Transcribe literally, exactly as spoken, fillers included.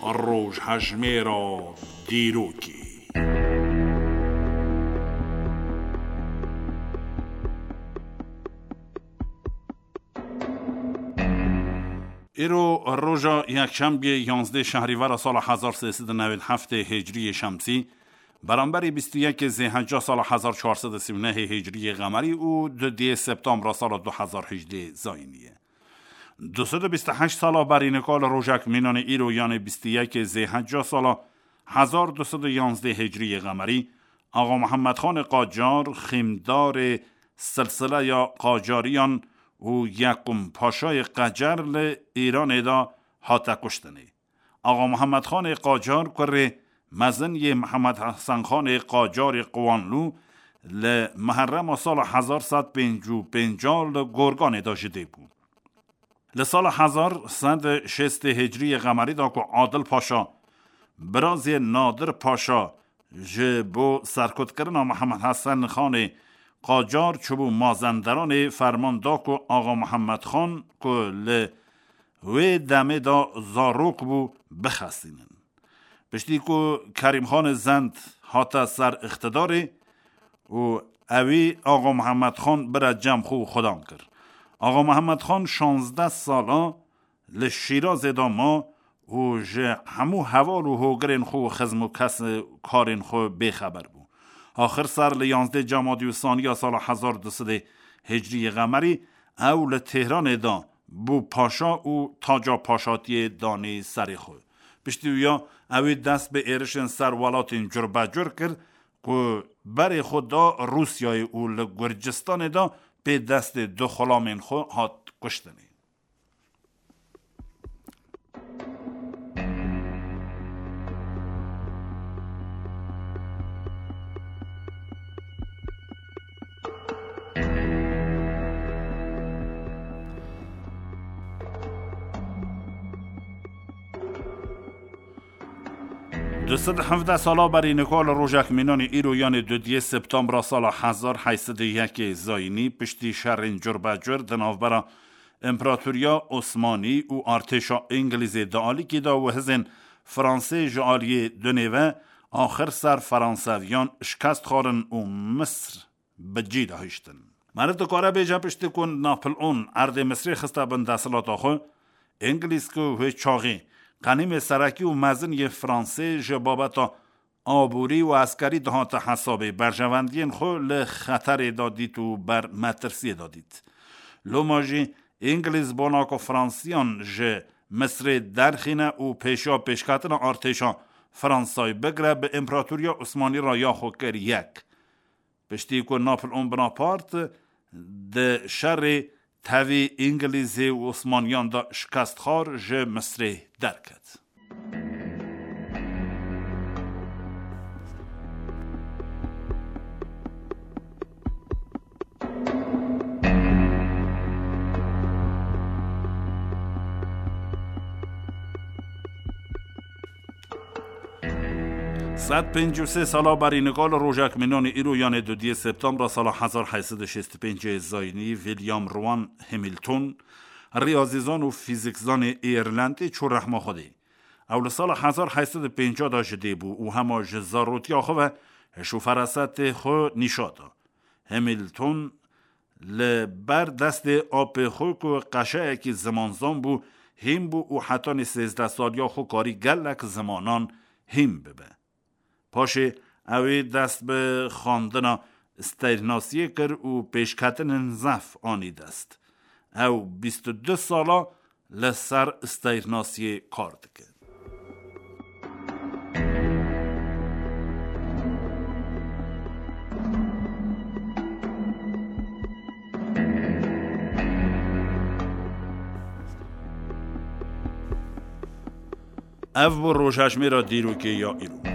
Rojhejmêra dîrokê. Îro roja yekşembiyê yanzdeh şehrîvera sala hezar sê sed û newêd heftê hicriyê şemsî, beramberî bîst û yekê zêhecca sala hezar çar sed û sî û nehê hicriyê qemerî û dudiyê septembra sala du hezar hejdê zayînî ye. Du sed û bîst û heşt sala berî nika li rojek mînanê îro, yanê bîst û yekê zêhecca sala hezar du sed û yanzdeh hicriyê qemerî, Axa Mihemed Xanê Qacar, xîmdarê silsileya Qacariyan û yekum paşayê Qecer li Îranê de hate kuştinê. Axa Mihemed Xanê Qacar kurê mezin yê Mihemed Hesen Xanê Qacarê Qiwanlû li Miherrema sala hezar sed pêncî û pênc li Gorganê de ji dê bû. Li sala hezar sed şêstê hicriyê qemerî de ku Adil Paşa, birazê Nadir Paşa, ji bo serkutkirina Mihemed Hesen Xanê Qacar çûbû Mazenderanê, ferman da ku Axa Mihemed Xan ku li wê demê de zarok bû, bixestînin. Piştî ku Kerîmxanê Zend hate ser îqtidarê û ewî Axa Mihemed Xan bire cem xwe û xudan kir. Axa Mihemed Xan şazdeh sala li Şîrazê de ma û ji hemû heval û hogirên xwe û xizm û kes karên xwe bêxeber bû. Axir ser li yanzdeh Cemadî û saniya sala hezar du sedê hicriyê qemerî ew li Tehranê de bû paşa û taca paşatiyê danî serê xwe. Piştî wîya ewî dest bi êrişên ser welatên curbecur kir ku berê xwe da Rûsyayê û li Gurcistanê de pê destê du xulamên xwe hat kuştinê. Du sed hevdeh sala berî nika li rojek mînanê îro, yanê dudiyê septembra sala hezar heyt sed û yekê zayînî, piştî şerên curbecur di navbera Împaratoriya Osmanî û artêşa Îngilîzê di alîkî de û hizên Fransê ji aliyê dunê ve axir ser Franseviyan şikest xwarin û Misr bi cî de hiştin. Meriv dikare bêje, piştî ku Napoleon erdê Misrê xiste bin desthilata xwe, Îngilîz ku wê çaxê qenîmê serekî û mezin yê Fransê ji babeta aborî û eskerî dihate hesabê, berjewendiyên xwe li xeterê de dît û ber metirsiyê de dît. Loma jî Îngilîz bona ku Fransiyan ji Misrê derxîne û pêşiya pêşketina artêşa Fransayê bigire, bi Împaratoriya Osmanî re ya xwe kir yek. Piştî ku Napoleon Bonaparte di şerê tevî Îngilîzê û Osmaniyan de şikest xwar, ji Misrê derket. Sed pêncî û sê sala berî nika li rojek mînanê îro, yanê dudiyê septembra sala hezar heyt sed û şêst û pêncê zayînî, William Rowan Hamilton, riyazîzan û fîzîkzanê Îrlandî, çû rehma Xwedê. Ew li sala hezar heyt sed û pêncî de ji dê bû û hema ji zarotiya xwe ve hiş û ferasetê xwe nîşa da. Hamilton li ber destê apê xwe ku qeşeyekî zimanzan bû, hîn bû û hetanî sêzdeh saliya xwe karî gelek zimanan hîn bibe. Paşê ew ê dest bi xwendina steyrnasiyê kir û pêşketinên zehf anî dest. Ew bîst û du sala li ser steyrnasiyê kar dike. Ev bû rojhejmêra dîrokê ya îro.